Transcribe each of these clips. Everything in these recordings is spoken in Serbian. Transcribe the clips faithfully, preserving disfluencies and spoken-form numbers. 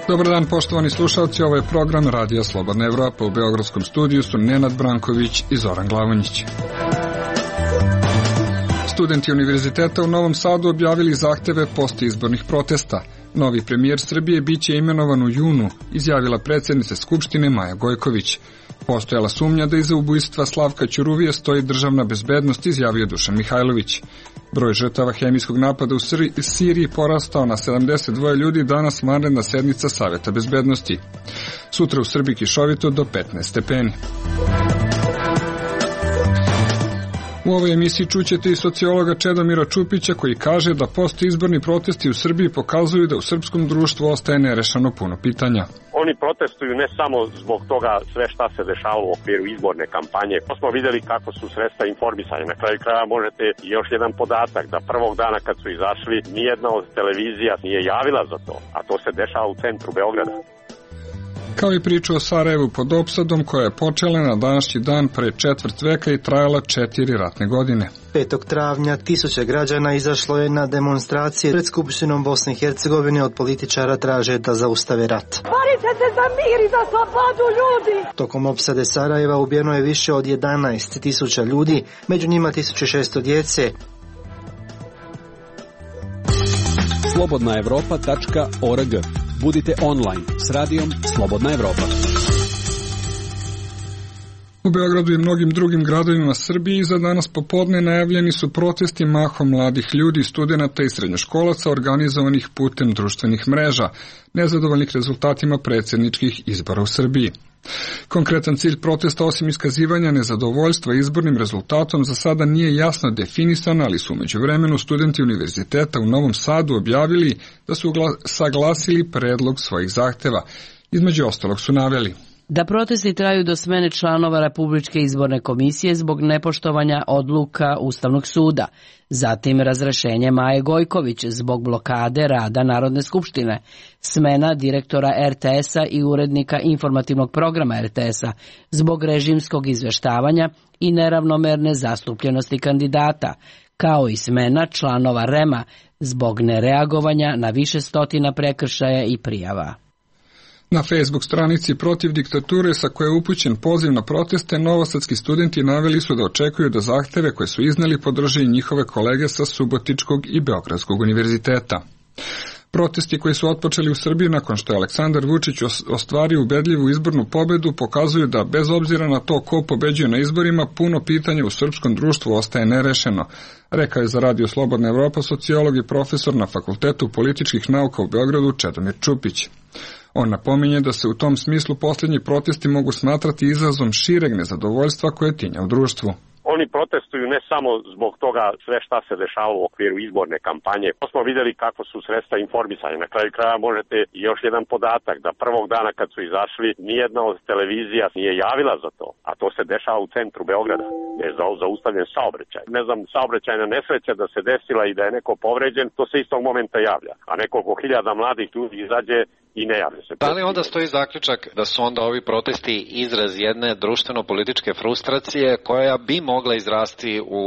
Dobar dan, poštovani slušalci, ovo je program Radija Slobodna Evropa. U beogradskom studiju su Nenad Branković i Zoran Glavonjić. Studenti Univerziteta u Novom Sadu objavili zahteve postizbornih protesta. Novi premijer Srbije biće imenovan u junu, izjavila predsjednica Skupštine Maja Gojković. Postojala sumnja da iza ubojstva Slavka Ćuruvije stoji državna bezbednost, izjavio Dušan Mihajlović. Broj žrtava hemijskog napada u Siriji porastao na sedamdeset dva ljudi, danas vanredna sednica Saveta bezbednosti. Sutra u Srbiji kišovito do petnaest stepeni. U ovoj emisiji čućete i sociologa Čedomira Čupića koji kaže da postizborni protesti u Srbiji pokazuju da u srpskom društvu ostaje nerešeno puno pitanja. Oni protestuju ne samo zbog toga sve šta se dešava u okviru izborne kampanje. Pa smo vidjeli kako su sredstva informisanja. Na kraju kraja možete još jedan podatak da prvog dana kad su izašli nijedna od televizija nije javila za to, a to se dešava u centru Beograda. Kao i priču o Sarajevu pod opsadom koja je počela na današnji dan pre četvrt veka i trajala četiri ratne godine. petog travnja tisuće građana izašlo je na demonstracije pred Skupštinom Bosne i Hercegovine. Od političara traže da zaustave rat. Borite se za mir i za slobodu ljudi! Tokom opsade Sarajeva ubijeno je više od jedanaest tisuća ljudi, među njima tisuću šesto djece. slobodna evropa tačka org. Budite online s radijom Slobodna Evropa. U Beogradu i mnogim drugim gradovima Srbije za danas popodne najavljeni su protesti mahom mladih ljudi, studenata i srednjoškolaca organizovanih putem društvenih mreža, nezadovoljnih rezultatima predsjedničkih izbora u Srbiji. Konkretan cilj protesta, osim iskazivanja nezadovoljstva izbornim rezultatom, za sada nije jasno definisan, ali su umeđu vremenu studenti Univerziteta u Novom Sadu objavili da su saglasili predlog svojih zahteva. Između ostalog su naveli da protesti traju do smene članova Republičke izborne komisije zbog nepoštovanja odluka Ustavnog suda, zatim razrešenje Maje Gojković zbog blokade rada Narodne skupštine, smena direktora er te esa i urednika informativnog programa er te esa zbog režimskog izveštavanja i neravnomerne zastupljenosti kandidata, kao i smena članova rema zbog nereagovanja na više stotina prekršaja i prijava. Na Facebook stranici Protiv diktature, sa koje je upućen poziv na proteste, novosadski studenti naveli su da očekuju da zahteve koje su izneli podrže i njihove kolege sa Subotičkog i Beogradskog univerziteta. Protesti koji su otpočeli u Srbiji nakon što je Aleksandar Vučić ostvario ubedljivu izbornu pobedu pokazuju da, bez obzira na to ko pobeđuje na izborima, puno pitanja u srpskom društvu ostaje nerešeno, rekao je za Radio Slobodna Evropa sociolog i profesor na Fakultetu političkih nauka u Beogradu Čedomir Čupić. On napominje da se u tom smislu posljednji protesti mogu smatrati izrazom šireg nezadovoljstva koje tinja u društvu. Oni protestuju ne samo zbog toga sve šta se dešava u okviru izborne kampanje. Pa smo vidjeli kako su sredstva informisanja. Na kraju kraja možete još jedan podatak da prvog dana kad su izašli nijedna od televizija nije javila za to, a to se dešava u centru Beograda. Je zaustavljen saobraćaj. Ne znam, saobraćajna nesreća da se desila i da je neko povređen, to se istog momenta javlja. A nekoliko hiljada mladih ljudi izađe i ne javlja se. Da li onda stoji zaključak da su onda ovi protesti izraz jedne društveno-političke frustracije koja bi mogla izrasti u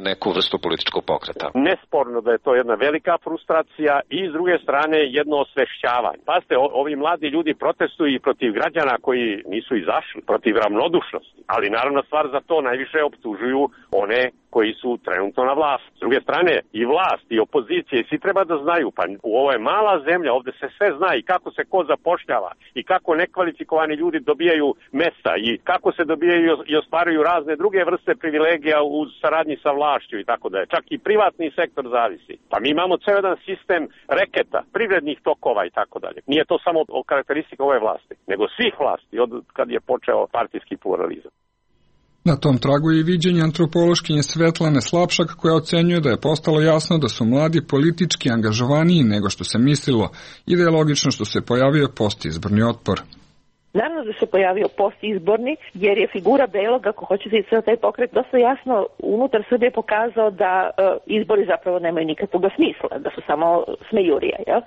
neku vrstu političkog pokreta? Nesporno da je to jedna velika frustracija i s druge strane jedno osvešćavanje. Pazite, ovi mladi ljudi protestuju i protiv građana koji nisu izašli, protiv ravnodušnosti. Ali naravno stvar za to najviše optužuju one koji su trenutno na vlasti. S druge strane, i vlast, i opozicije, i svi treba da znaju, pa u ovo je mala zemlja, ovde se sve zna i kako se ko zapošljava, i kako nekvalifikovani ljudi dobijaju mesta, i kako se dobijaju i ostvaruju razne druge vrste privilegija u saradnji sa vlašću i tako da je. Čak i privatni sektor zavisi. Pa mi imamo ceo jedan sistem reketa, privrednih tokova i tako dalje. Nije to samo karakteristika ove vlasti, nego svih vlasti, od kad je počeo partijski pluralizam. Na tom tragu je i viđenje antropološkinje Svetlane Slapšak, koja ocenjuje da je postalo jasno da su mladi politički angažovaniji nego što se mislilo i da je logično što se pojavio postizborni otpor. Naravno da se pojavio postizborni, jer je figura Belog, ako hoćete i taj pokret, dosta jasno unutar Srbije pokazao da e, izbori zapravo nemaju nikakvog smisla, da su samo smejurija. Jel?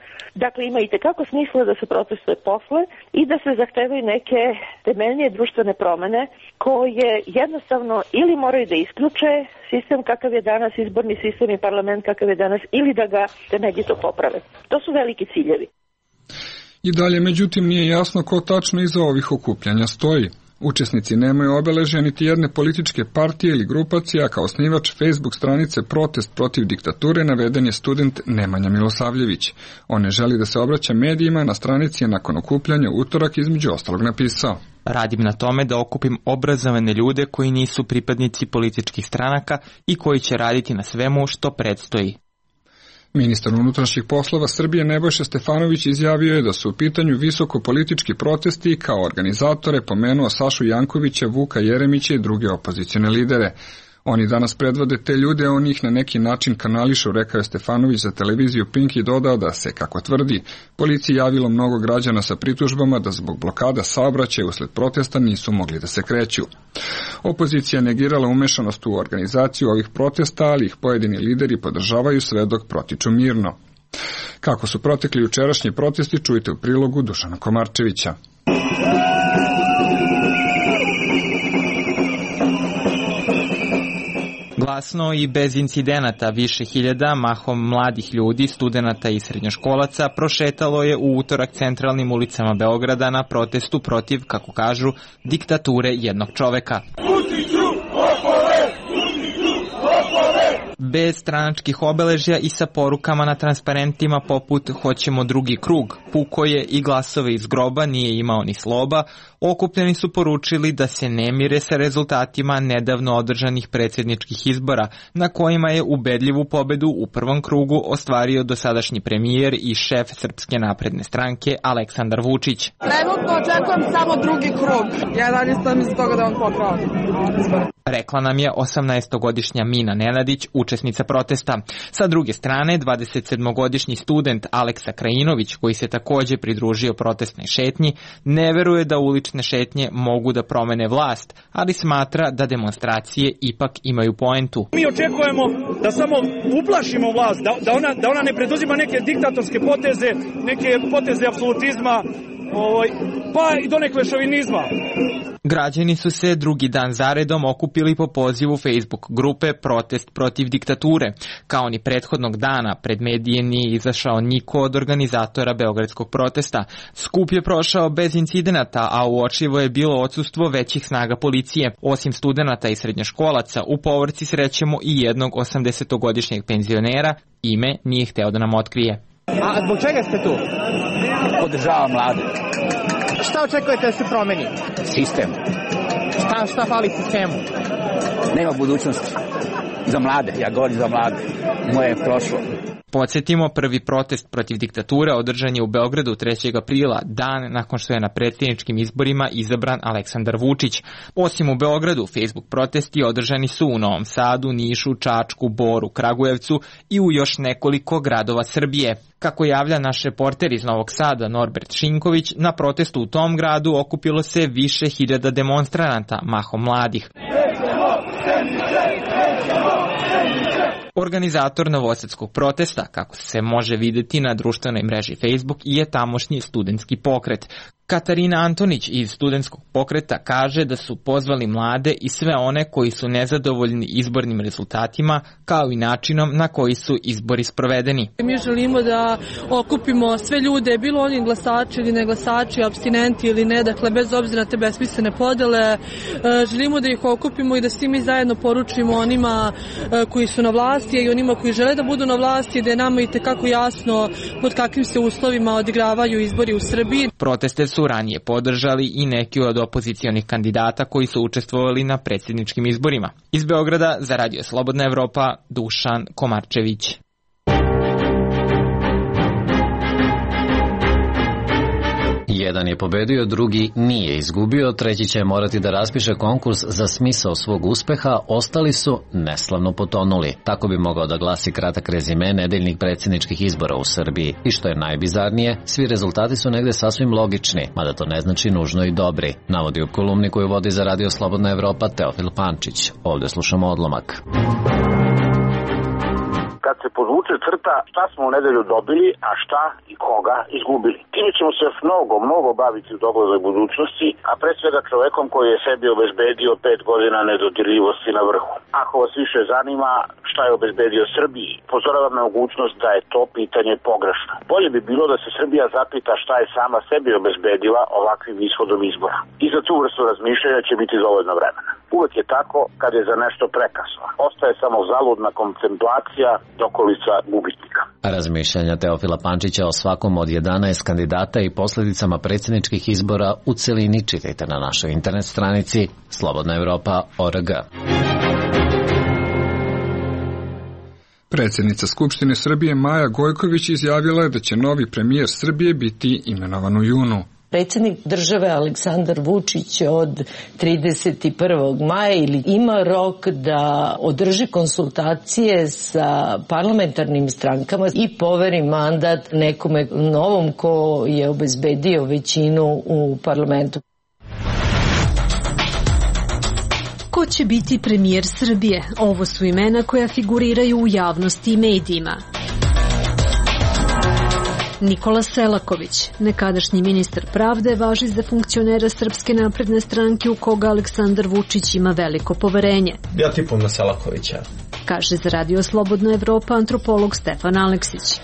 Dakle, ima i tekako smisla da se protestuje posle i da se zahtevaju neke temeljnije društvene promene koje jednostavno ili moraju da isključe sistem kakav je danas, izborni sistem i parlament kakav je danas, ili da ga temeljito poprave. To su veliki ciljevi. I dalje, međutim, nije jasno ko tačno iza ovih okupljanja stoji. Učesnici nemaju obeležja niti jedne političke partije ili grupacije, a kao osnivač Facebook stranice Protest protiv diktature naveden je student Nemanja Milosavljević. On ne želi da se obraća medijima, na stranici je nakon okupljanja utorak između ostalog napisao: Radim na tome da okupim obrazovane ljude koji nisu pripadnici političkih stranaka i koji će raditi na svemu što predstoji. Ministar unutrašnjih poslova Srbije Nebojša Stefanović izjavio je da su u pitanju visoko politički protesti i kao organizatore pomenuo Sašu Jankovića, Vuka Jeremića i druge opozicione lidere. Oni danas predvode te ljude, on ih na neki način kanališu, rekao je Stefanović za televiziju Pink i dodao da se, kako tvrdi, policiji javilo mnogo građana sa pritužbama da zbog blokada saobraćaja usled protesta nisu mogli da se kreću. Opozicija negirala umešanost u organizaciju ovih protesta, ali ih pojedini lideri podržavaju sve dok protiču mirno. Kako su protekli jučerašnji protesti, čujte u prilogu Dušana Komarčevića. Glasno i bez incidenata više hiljada, mahom mladih ljudi, studenata i srednjoškolaca, prošetalo je u utorak centralnim ulicama Beograda na protestu protiv, kako kažu, diktature jednog čoveka. Bez stranačkih obeležja i sa porukama na transparentima poput "Hoćemo drugi krug", "Puko je" i "Glasove iz groba nije imao ni sloba", okupljeni su poručili da se ne mire sa rezultatima nedavno održanih predsjedničkih izbora, na kojima je ubedljivu pobedu u prvom krugu ostvario dosadašnji premijer i šef Srpske napredne stranke Aleksandar Vučić. Trenutno očekujem samo drugi krug. Ja dalje sam iz toga da on pokrao. Rekla nam je osamnaestogodišnja Mina Nenadić, učesnica protesta. Sa druge strane, dvadesetsedmogodišnji student Aleksa Krajinović, koji se takođe pridružio protestnoj šetnji, ne veruje da ulične šetnje mogu da promene vlast, ali smatra da demonstracije ipak imaju poentu. Mi očekujemo da samo uplašimo vlast, da, da, ona, da ona ne preduzima neke diktatorske poteze, neke poteze apsolutizma, ovaj, pa i do nekog šovinizma. Građani su se drugi dan zaredom okupili po pozivu Facebook grupe Protest protiv diktature. Kao ni prethodnog dana, pred medije nije izašao niko od organizatora beogradskog protesta. Skup je prošao bez incidenata, a uočljivo je bilo odsustvo većih snaga policije. Osim studenata i srednjoškolaca, u povorci srećemo i jednog osamdesetogodišnjeg penzionera, ime nije hteo da nam otkrije. A zbog čega ste tu? Podržavam mlade. Šta očekujete da se promeni? Sistem. Šta, šta fali sistemu? Nema budućnosti. Za mlade, ja govorim za mlade. Moje je prošlo. Podsjetimo, prvi protest protiv diktature održan je u Beogradu trećeg aprila, dan nakon što je na predsjedničkim izborima izabran Aleksandar Vučić. Osim u Beogradu, Facebook protesti održani su u Novom Sadu, Nišu, Čačku, Boru, Kragujevcu i u još nekoliko gradova Srbije. Kako javlja naš reporter iz Novog Sada Norbert Šinković, na protestu u tom gradu okupilo se više hiljada demonstranata, mahom mladih. Organizator novosadskog protesta, kako se može videti na društvenoj mreži Facebook, je tamošnji studentski pokret. Katarina Antonić iz studentskog pokreta kaže da su pozvali mlade i sve one koji su nezadovoljni izbornim rezultatima, kao i načinom na koji su izbori sprovedeni. Mi želimo da okupimo sve ljude, bilo oni glasači ili ne glasači, apstinenti ili ne, dakle bez obzira na te besmislene podele. Želimo da ih okupimo i da svi mi zajedno poručimo onima koji su na vlasti i onima koji žele da budu na vlasti, da je nama i tekako jasno pod kakvim se uslovima odigravaju izbori u Srbiji. Proteste su ranije podržali i neki od opozicionih kandidata koji su učestvovali na predsjedničkim izborima. Iz Beograda za Radio Slobodna Evropa, Dušan Komarčević. Jedan je pobedio, drugi nije izgubio, treći će morati da raspiše konkurs za smisao svog uspeha, ostali su neslavno potonuli. Tako bi mogao da glasi kratak rezime nedeljnih predsjedničkih izbora u Srbiji. I što je najbizarnije, svi rezultati su negde sasvim logični, mada to ne znači nužno i dobri, navodi u kolumni koju vodi za Radio Slobodna Evropa Teofil Pančić. Ovdje slušamo odlomak. Kad se podvuče crta šta smo u nedelju dobili, a šta i koga izgubili. Time ćemo se još mnogo, mnogo baviti u doglednoj budućnosti, a pre svega čovekom koji je sebi obezbedio pet godina nedodirljivosti na vrhu. Ako vas više zanima šta je obezbedio Srbiji, pozoravam na mogućnost da je to pitanje pogrešno. Bolje bi bilo da se Srbija zapita šta je sama sebi obezbedila ovakvim ishodom izbora. I za tu vrstu razmišljanja će biti dovoljno vremena. Uvek je tako kad je za nešto prekasno. Ostaje samo zaludna kontemplacija dokolica gubitnika. Razmišljanja Teofila Pančića o svakom od jedanaest kandidata i posljedicama predsjedničkih izbora u celini čitajte na našoj internet stranici slobodna evropa tačka org. Predsjednica Skupštine Srbije Maja Gojković izjavila je da će novi premijer Srbije biti imenovan u junu. Predsjednik države Aleksandar Vučić od trideset prvog maja ili ima rok da održi konsultacije sa parlamentarnim strankama i poveri mandat nekome novom ko je obezbedio većinu u parlamentu. Ko će biti premijer Srbije? Ovo su imena koja figuriraju u javnosti i medijima. Nikola Selaković, nekadašnji ministar pravde, važi za funkcionera Srpske napredne stranke u koga Aleksandar Vučić ima veliko poverenje. Ja tipom na Selakovića. Kaže za Radio Slobodna Evropa antropolog Stefan Aleksić.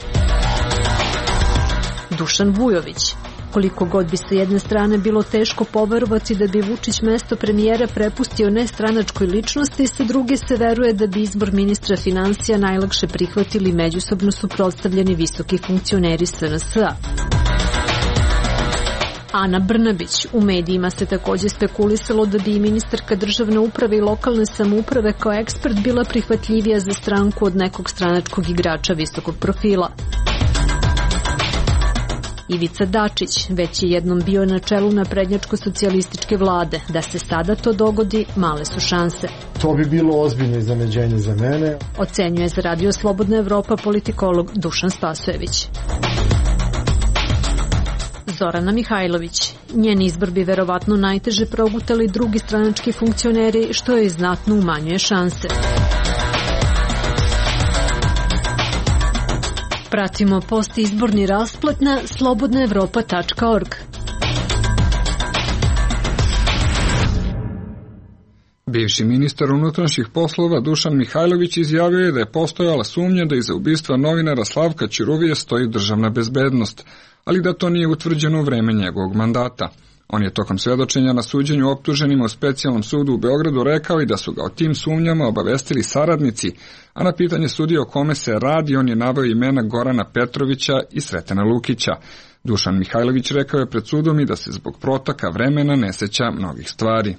Dušan Vujović. Koliko god bi sa jedne strane bilo teško poverovati da bi Vučić mesto premijera prepustio nestranačkoj ličnosti, sa druge se veruje da bi izbor ministra financija najlakše prihvatili međusobno suprotstavljeni visoki funkcioneri S N S-a. Ana Brnabić. U medijima se također spekulisalo da bi i ministarka državne uprave i lokalne samouprave kao ekspert bila prihvatljivija za stranku od nekog stranačkog igrača visokog profila. Ivica Dačić već je jednom bio na čelu naprednjačko-socijalističke vlade. Da se sada to dogodi, male su šanse. To bi bilo ozbiljno iznenađenje za mene. Ocenjuje za Radio Slobodna Evropa politikolog Dušan Spasojević. Zorana Mihajlović. Njen izbor bi verovatno najteže progutali drugi stranački funkcioneri, što joj znatno umanjuje šanse. Pratimo postizborni rasplet na slobodna evropa tačka org. Bivši ministar unutrašnjih poslova Dušan Mihajlović izjavio je da je postojala sumnja da iza ubistva novinara Slavka Ćuruvije stoji državna bezbednost, ali da to nije utvrđeno u vreme njegovog mandata. On je tokom svedočenja na suđenju optuženima u specijalnom sudu u Beogradu rekao i da su ga o tim sumnjama obavestili saradnici, a na pitanje sudije o kome se radi on je naveo imena Gorana Petrovića i Sretena Lukića. Dušan Mihajlović rekao je pred sudom i da se zbog protaka vremena ne seća mnogih stvari.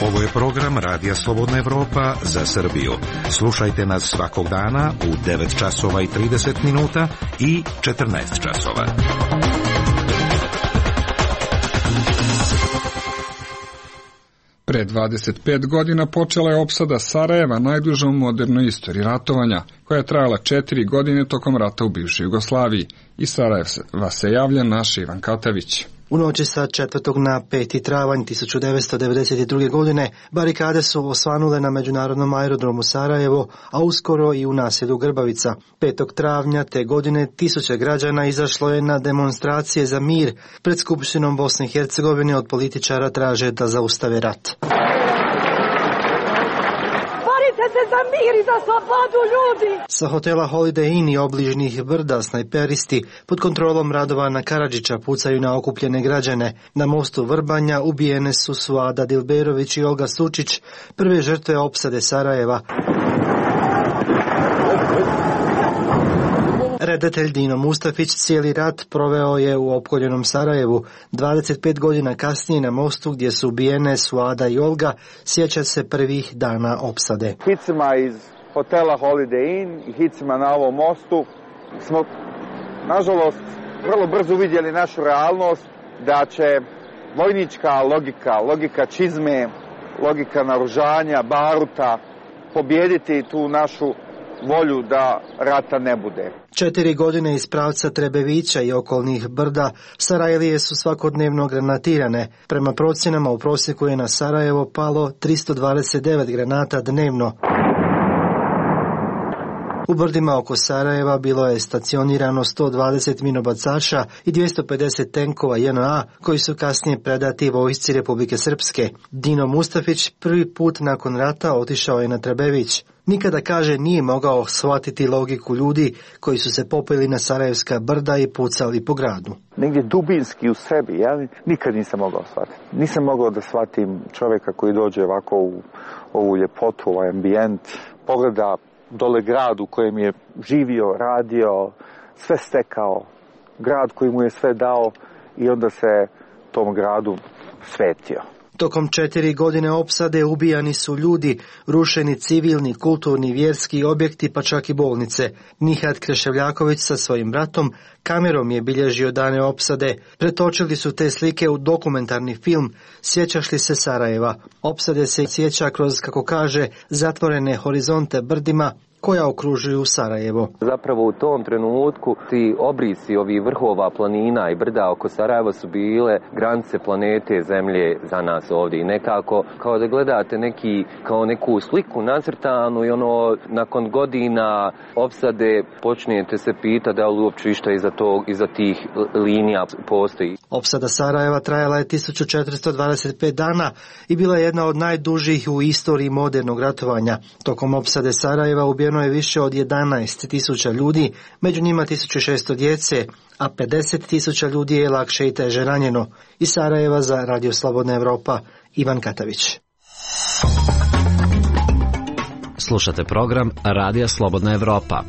Ovo je program Radija Slobodna Evropa za Srbiju. Slušajte nas svakog dana u devet časova i trideset minuta i četrnaest časova. Pre dvadeset pet godina počela je opsada Sarajeva, najduža u modernoj istoriji ratovanja, koja je trajala četiri godine tokom rata u bivšoj Jugoslaviji. Iz Sarajeva se javlja naš Ivan Katavić. U noći sa četvrtog na peti travanj tisuću devetsto devedeset druge. godine barikade su osvanule na međunarodnom aerodromu Sarajevo, a uskoro i u naselju Grbavica. petog travnja te godine tisuće građana izašlo je na demonstracije za mir pred Skupštinom Bosne i Hercegovine. Od političara traže da zaustave rat. Se za mir i za slobodu ljudi. Sa hotela Holiday Inn i obližnjih brda snajperisti pod kontrolom Radovana Karadžića pucaju na okupljene građane. Na mostu Vrbanja ubijene su Suada Dilberović i Olga Sučić, prve žrtve opsade Sarajeva. Redatelj Dino Mustafić cijeli rat proveo je u opkoljenom Sarajevu. dvadeset pet godina kasnije na mostu gdje su ubijene Suada i Olga sjeća se prvih dana opsade. Hicima iz hotela Holiday Inn i hicima na ovom mostu smo, nažalost, vrlo brzo uvidjeli našu realnost, da će vojnička logika, logika čizme, logika naoružanja, baruta, pobijediti tu našu volju da rata ne bude. Četiri godine iz pravca Trebevića i okolnih brda Sarajlije su svakodnevno granatirane. Prema procjenama u prosjeku je na Sarajevo palo tristo dvadeset devet granata dnevno. U brdima oko Sarajeva bilo je stacionirano sto dvadeset minobacača i dvjesto pedeset tenkova J N A koji su kasnije predati vojsci Republike Srpske. Dino Mustafić prvi put nakon rata otišao je na Trebević. Nikada, kaže, nije mogao shvatiti logiku ljudi koji su se popeli na Sarajevska brda i pucali po gradu. Negdje dubinski u sebi, ja nikad nisam mogao shvatiti. Nisam mogao da shvatim čovjeka koji dođe ovako u ovu ljepotu, ovaj ambijent, pogleda dole grad u kojem je živio, radio, sve stekao, grad koji mu je sve dao i onda se tom gradu svetio. Tokom četiri godine opsade ubijani su ljudi, rušeni civilni, kulturni, vjerski objekti, pa čak i bolnice. Nihat Kreševljaković sa svojim bratom kamerom je bilježio dane opsade. Pretočili su te slike u dokumentarni film Sjećaš li se Sarajeva? Opsade se sjeća kroz, kako kaže, zatvorene horizonte brdima koja okružuju Sarajevo. Zapravo u tom trenutku ti obrisi ovih vrhova planina i brda oko Sarajeva su bile granice planete Zemlje za nas ovdje. I nekako kao da gledate neki, kao neku sliku nacrtanu i ono nakon godina opsade počnete se pitati da li uopće išta iza, tog, iza tih linija postoji. Opsada Sarajeva trajala je tisuću četiristo dvadeset pet dana i bila je jedna od najdužih u istoriji modernog ratovanja. Tokom opsade Sarajeva ubijeno je više od jedanaest tisuća ljudi, među njima tisuću šesto djece, a pedeset tisuća ljudi je lakše i teže ranjeno. Iz Sarajeva za Radio Slobodna Evropa, Ivan Katavić. Slušate program Radija Slobodna Evropa.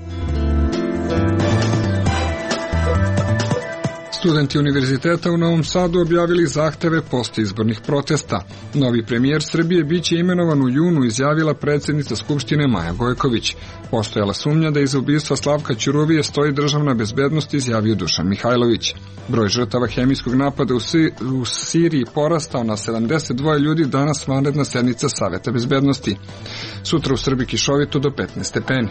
Studenti Univerziteta u Novom Sadu objavili zahteve postizbornih protesta. Novi premijer Srbije biće imenovan u junu, izjavila predsjednica Skupštine Maja Gojković. Postojala sumnja da iza ubistva Slavka Ćuruvije stoji državna bezbednost, izjavio Dušan Mihajlović. Broj žrtava hemijskog napada u, si, u Siriji porastao na sedamdeset dva ljudi, danas vanredna sednica Saveta bezbednosti. Sutra u Srbiji kišovito do petnaest stepeni.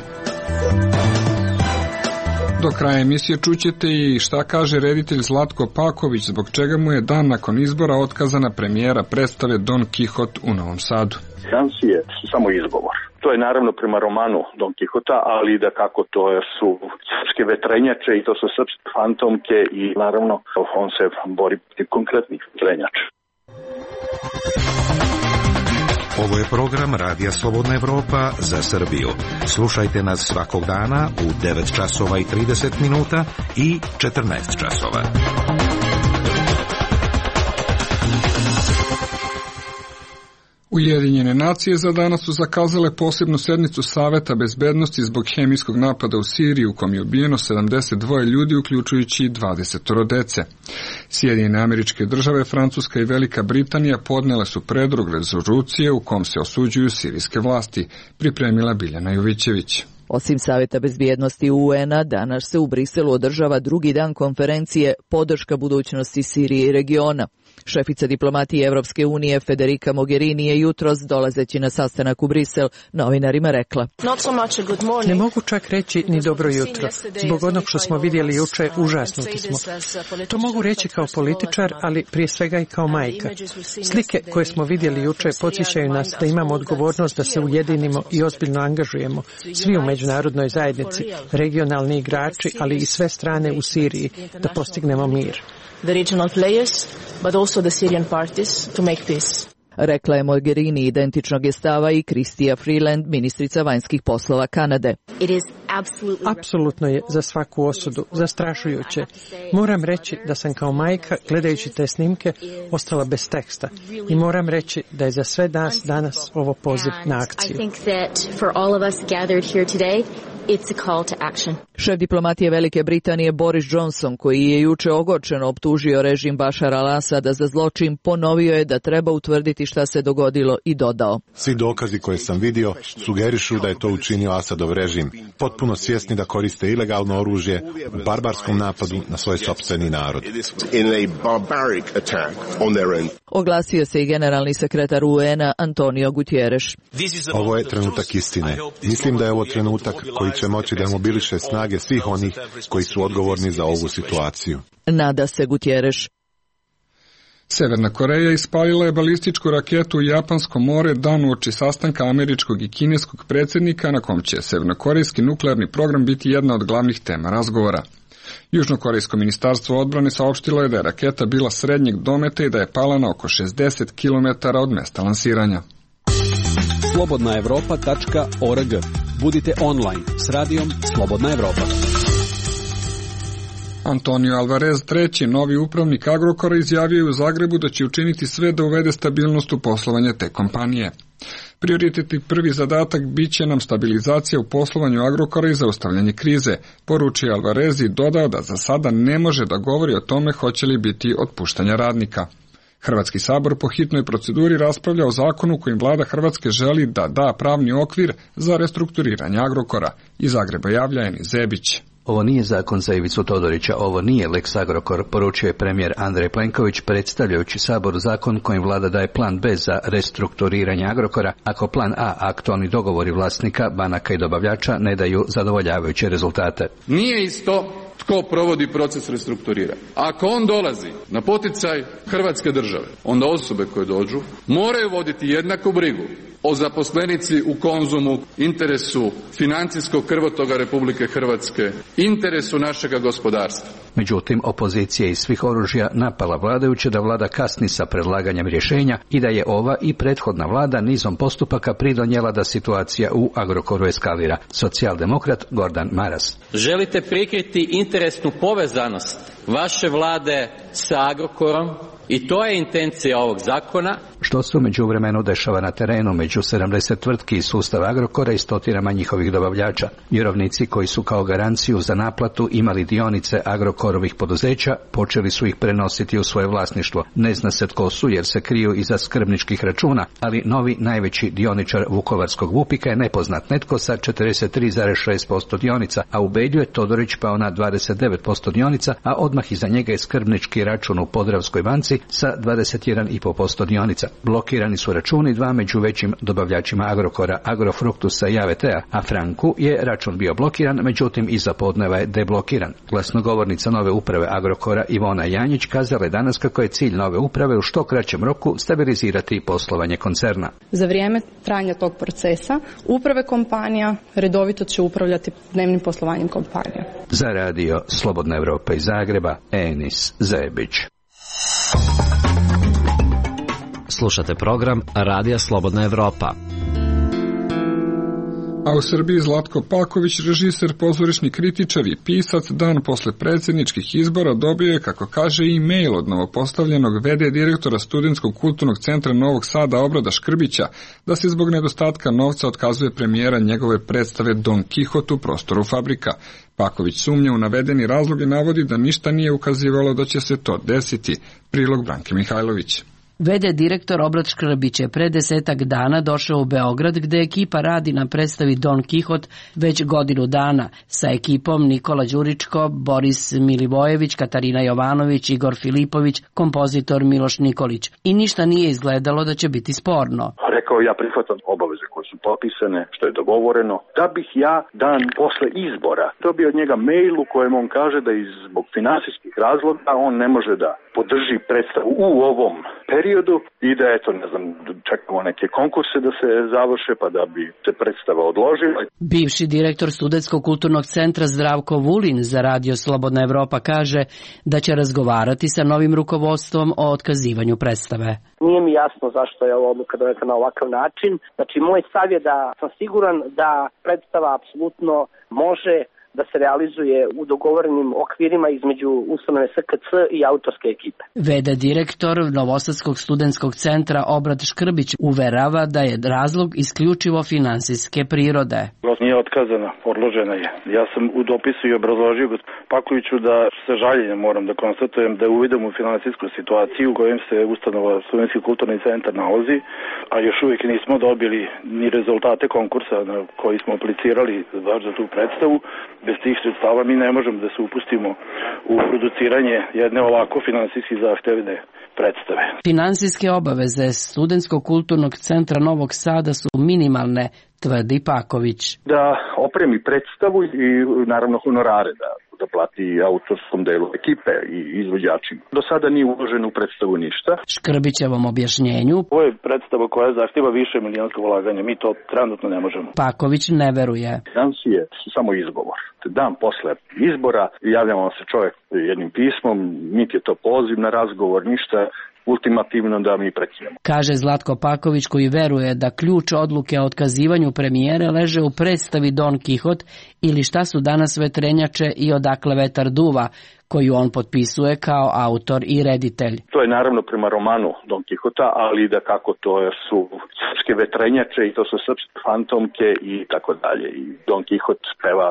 Do kraja emisije čućete i šta kaže reditelj Zlatko Paković, zbog čega mu je dan nakon izbora otkazana premijera predstave Don Kihot u Novom Sadu. Sankcije su samo izgovor. To je naravno prema romanu Don Kihota, ali da kako to su srpske vetrenjače i to su srpske fantomke i naravno on se bori protiv konkretnih vetrenjača. Ovo je program Radija Slobodna Evropa za Srbiju. Slušajte nas svakog dana u devet časova i trideset minuta i četrnaest časova. Ujedinjene nacije za danas su zakazale posebnu sednicu Saveta bezbednosti zbog hemijskog napada u Siriji u kom je ubijeno sedamdeset dva ljudi, uključujući dvadeset dece. Sjedinjene Američke Države, Francuska i Velika Britanija podnele su predlog rezolucije u kom se osuđuju sirijske vlasti, pripremila Biljana Jovićević. Osim Saveta bezbjednosti U N-a, danas se u Briselu održava drugi dan konferencije Podrška budućnosti Sirije i regiona. Šefica diplomatije Evropske unije Federica Mogherini je jutros, dolazeći na sastanak u Brisel, novinarima rekla: Ne mogu čak reći ni dobro jutro. Zbog onog što smo vidjeli juče, užasnuti smo. To mogu reći kao političar, ali prije svega i kao majka. Slike koje smo vidjeli juče podsjećaju nas da imamo odgovornost da se ujedinimo i ozbiljno angažujemo. Svi u međunarodnoj zajednici, regionalni igrači, ali i sve strane u Siriji, da postignemo mir. The regional players, but also the Syrian parties, to make peace. Rekla je Mogherini identičnog je stava i Chrystia Freeland, ministrica vanjskih poslova Kanade. Apsolutno je za svaku osudu, zastrašujuće. Moram reći da sam kao majka, gledajući te snimke, ostala bez teksta. I moram reći da je za sve nas danas ovo poziv na akciju. It's a call to action. Šef diplomatije Velike Britanije Boris Johnson, koji je juče ogorčeno optužio režim Bašara al-Asada za zločin, ponovio je da treba utvrditi šta se dogodilo i dodao. Svi dokazi koje sam vidio sugerišu da je to učinio Asadov režim, potpuno svjesni da koriste ilegalno oružje u barbarskom napadu na svoj sopstveni narod. Oglasio se i generalni sekretar U N A Antonio Guterres. Ovo je trenutak istine. Mislim da je ovo trenutak koji će moći da mobiliše snage svih onih koji su odgovorni za ovu situaciju. Nada se Guterres. Severna Koreja ispalila je balističku raketu u Japansko more dan uoči sastanka američkog i kineskog predsjednika, na kom će severnokorejski nuklearni program biti jedna od glavnih tema razgovora. Južnokorejsko ministarstvo odbrane saopštilo je da je raketa bila srednjeg dometa i da je pala na oko šezdeset kilometara od mesta lansiranja. slobodna evropa tačka org. Budite online s radijom Slobodna Evropa. Antonio Alvarez, treći novi upravnik Agrokora, izjavio je u Zagrebu da će učiniti sve da uvede stabilnost u poslovanje te kompanije. Prioritetni prvi zadatak bit će nam stabilizacija u poslovanju Agrokora i zaustavljanje krize, poručio Alvarez i dodao da za sada ne može da govori o tome hoće li biti otpuštanja radnika. Hrvatski sabor po hitnoj proceduri raspravlja o zakonu kojim vlada Hrvatske želi da da pravni okvir za restrukturiranje Agrokora. Iz Zagreba javlja Eni Zebić. Ovo nije zakon za Ivicu Todorića, ovo nije Lex Agrokor, poručio je premijer Andrej Plenković predstavljajući Saboru zakon kojim vlada daje plan B za restrukturiranje Agrokora, ako plan A, aktualni dogovori vlasnika, banaka i dobavljača, ne daju zadovoljavajuće rezultate. Nije isto tko provodi proces restrukturiranja. Ako on dolazi na poticaj Hrvatske države, onda osobe koje dođu moraju voditi jednaku brigu o zaposlenici u Konzumu, interesu financijskog krvotoga Republike Hrvatske, interesu našega gospodarstva. Međutim, opozicija iz svih oružja napala vladajuće da vlada kasni sa predlaganjem rješenja i da je ova i prethodna vlada nizom postupaka pridonijela da situacija u Agrokoru eskalira. Socijaldemokrat Gordan Maras. Želite prikriti interesnu povezanost vaše vlade sa Agrokorom i to je intencija ovog zakona. Što se u međuvremenu dešava na terenu među sedamdeset tvrtki iz sustava Agrokora i stotinama njihovih dobavljača. Vjerovnici koji su kao garanciju za naplatu imali dionice Agrokorovih poduzeća, počeli su ih prenositi u svoje vlasništvo. Ne zna se tko su jer se kriju iza skrbničkih računa, ali novi najveći dioničar vukovarskog Vupika je nepoznat, netko sa četrdeset tri zarez šest posto dionica, a u Belju je Todorić pao na dvadeset devet posto dionica, a odmah iza njega je skrbnički račun u Podravskoj banci sa dvadeset jedan zarez pet posto dionica. Blokirani su računi dva među većim dobavljačima Agrokora, Agrofruktusa i A V T-a, a Franku je račun bio blokiran, međutim iza podneva je deblokiran. Glasnogovornica nove uprave Agrokora Ivona Janjić kazala je danas kako je cilj nove uprave u što kraćem roku stabilizirati poslovanje koncerna. Za vrijeme trajanja tog procesa uprave kompanija redovito će upravljati dnevnim poslovanjem kompanija. Za radio Slobodna Evropa iz Zagreba, Enis Zebić. Slušate program Radija Slobodna Evropa. A u Srbiji Zlatko Paković, režiser, pozorišni kritičar i pisac, dan posle predsjedničkih izbora dobio je, kako kaže, e-mail od novopostavljenog v d direktora Studentskog kulturnog centra Novog Sada Obrada Škrbića da se zbog nedostatka novca otkazuje premijera njegove predstave Don Kihot u prostoru Fabrika. Paković sumnja u navedeni razlog i navodi da ništa nije ukazivalo da će se to desiti. Prilog Branke Mihajlović. v d direktor Obrad Škrbić je pre desetak dana došao u Beograd gde ekipa radi na predstavi Don Kihot već godinu dana sa ekipom Nikola Đuričko, Boris Milivojević, Katarina Jovanović, Igor Filipović, kompozitor Miloš Nikolić. I ništa nije izgledalo da će biti sporno. Rekao ja prihvatam obaveze koje su potpisane, što je dogovoreno, da bih ja dan posle izbora dobio od njega mail u kojem on kaže da iz zbog finansijskih razloga on ne može da podrži predstavu u ovom periodu i da eto, ne znam, čekamo neke konkurse da se završe pa da bi se predstava odložila. Bivši direktor Studentskog kulturnog centra Zdravko Vulin za radio Slobodna Evropa kaže da će razgovarati sa novim rukovodstvom o otkazivanju predstave. Nije mi jasno zašto je ova odluka doneta na ovakav način. Znači, moj stav je da sam siguran da predstava apsolutno može da se realizuje u dogovorenim okvirima između ustanove S K C i autorske ekipe. V D direktor Novosadskog studentskog centra Obrad Škrbić uverava da je razlog isključivo finansijske prirode. Nije otkazana, odložena je. Ja sam u dopisu i obrazložio gospodinu Pakoviću da sa žaljenjem moram da konstatujem da je uvidom u finansijsku situaciju u kojem se ustanova Studentski kulturni centar nalazi, a još uvijek nismo dobili ni rezultate konkursa na koji smo aplicirali baš za tu predstavu. Bez tih sredstava mi ne možemo da se upustimo u produciranje jedne ovako finansijski zahtevne predstave. Finansijske obaveze Studentskog kulturnog centra Novog Sada su minimalne, tvrdi Paković. Da opremi predstavu i naravno honorare da da plati autorskom delu ekipe i izvođačima. Do sada nije uloženo u predstavu ništa. Škrbićevom objašnjenju. Ovo je predstava koja zahtjeva više milijonsko ulaganje. Mi to trenutno ne možemo. Paković ne veruje. Financije su samo izgovor. Dan posle izbora javljamo se čovjek jednim pismom, niti je to poziv na razgovor, ništa ultimativno da mi prekinemo. Kaže Zlatko Paković, koji veruje da ključ odluke o otkazivanju premijere leže u predstavi Don Kihot ili Šta su danas vetrenjače i Odakle vetar duva, koju on potpisuje kao autor i reditelj. To je naravno prema romanu Don Kihota, ali da kako to su srpske vetrenjače i to su srpske fantomke i tako dalje. I Don Kihot peva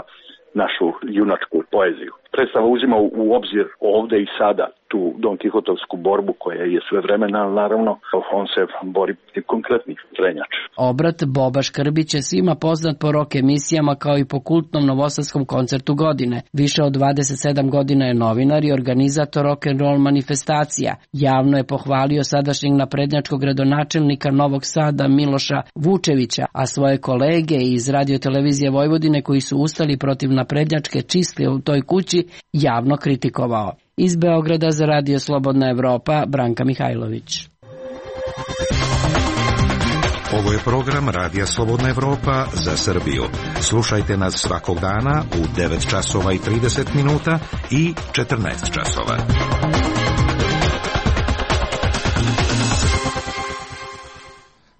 našu junačku poeziju. Predstava uzima u obzir ovde i sada tu Don Kihotovsku borbu koja je svevremena, naravno on se bori protiv konkretnih vetrenjača. Obrat Boba Škrbić je svima poznat po rock emisijama kao i po kultnom novosadskom koncertu godine. Više od dvadeset sedam godina je novinar i organizator rock'n'roll manifestacija. Javno je pohvalio sadašnjeg naprednjačkog gradonačelnika Novog Sada Miloša Vučevića, a svoje kolege iz Radio-televizije Vojvodine koji su ustali protiv naprednjačke čistke u toj kući javno kritikovao. Iz Beograda za Radio Slobodna Evropa, Branka Mihajlović. Ovo je program Radija Slobodna Evropa za Srbiju. Slušajte nas svakog dana u devet časova i trideset minuta i četrnaest časova.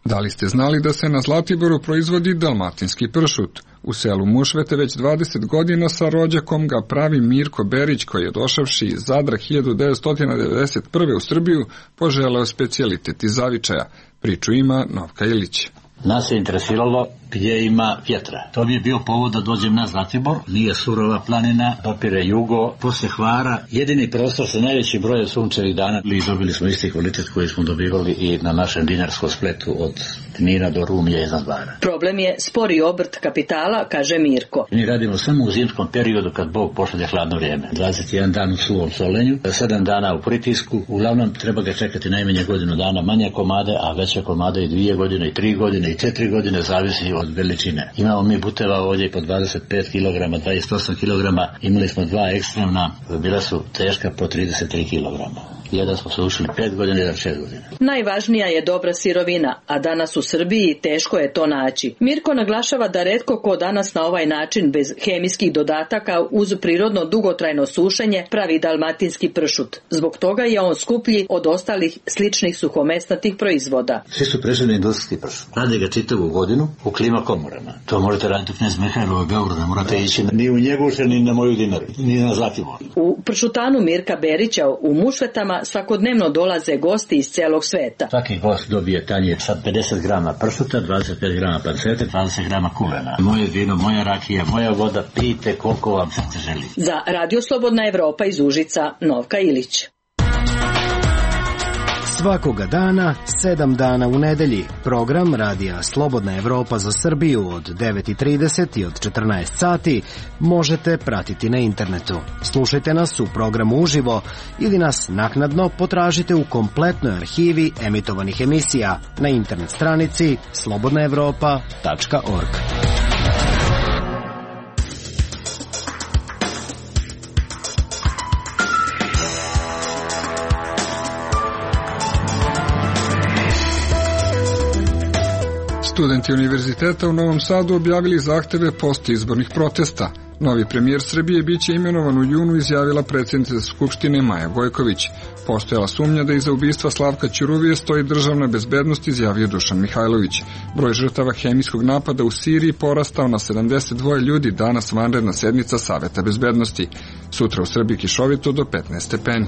Da li ste znali da se na Zlatiboru proizvodi dalmatinski pršut? U selu Mušvete već dvadeset godina sa rođakom ga pravi Mirko Berić, koji je došavši iz Zadra hiljadu devetsto devedeset prve u Srbiju poželeo specijalitet iz zavičaja. Priču ima Novka Ilić. Nas je interesiralo gdje ima vjetra. To bi je bio povod da dođem na Zlatibor. Nije surova planina, dopire jugo, posle Hvara. Jedini prostor sa najvećim brojem sunčevih dana. I dobili smo isti kvalitet koji smo dobivali i na našem dinarskom spletu od Knina do Rumlje iznad Hvara. Problem je spori obrt kapitala, kaže Mirko. Mi radimo samo u zimskom periodu kad Bog pošalje hladno vrijeme. dvadeset jedan dan u suvom solenju, sedam dana u pritisku. Uglavnom treba ga čekati najmanje godinu dana, manje komade, a veće komade i dvije godine, i tri godine, i četiri godine, zavisi od veličine. Imamo mi buteva ovdje po dvadeset pet kilograma, dvadeset osam kilograma, imali smo dva ekstremna, bila su teška po trideset tri kilograma. Jedan smo se ušli pet godina, jedan šest godina. Najvažnija je dobra sirovina, a danas u Srbiji teško je to naći. Mirko naglašava da retko ko danas na ovaj način bez hemijskih dodataka uz prirodno dugotrajno sušenje pravi dalmatinski pršut. Zbog toga je on skuplji od ostalih sličnih suhomesnatih proizvoda. Svi su prešli na industrijski pršut. Rade ga čitavu godinu u klima komorama. To možete raditi u Knez Mihajlovoj Beogradu, ne morate ići ni u Njeguše, ni na moju Dinaru, ni na Zlatibor. U pršutanu Mirka Berića u Mušvetama svakodnevno dolaze gosti iz celog sveta. Svaki gost dobije tanjir sa pedeset grama pršuta, dvadeset pet grama pancete, dvadeset grama kulena. Moje vino, moja rakija, moja voda, pijte koliko vam srce želi. Za Radio Slobodna Evropa iz Užica, Novka Ilić. Svakoga dana, sedam dana u nedelji, program Radija Slobodna Evropa za Srbiju od devet i trideset i od četrnaest sati možete pratiti na internetu. Slušajte nas u programu uživo ili nas naknadno potražite u kompletnoj arhivi emitovanih emisija na internet stranici slobodna evropa tačka org. Studenti univerziteta u Novom Sadu objavili zahteve post izbornih protesta. Novi premijer Srbije biće imenovan u junu, izjavila predsjednica Skupštine Maja Gojković. Postojala sumnja da iza ubistva Slavka Ćuruvije stoji državna bezbednost, izjavio Dušan Mihajlović. Broj žrtava hemijskog napada u Siriji porastao na sedamdeset dva ljudi, danas vanredna sednica Saveta bezbednosti. Sutra u Srbiji kišovito do petnaest stepeni.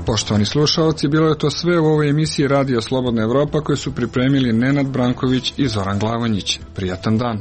Poštovani slušaoci, bilo je to sve u ovoj emisiji Radija Slobodna Evropa koju su pripremili Nenad Branković i Zoran Glavonjić. Prijatan dan.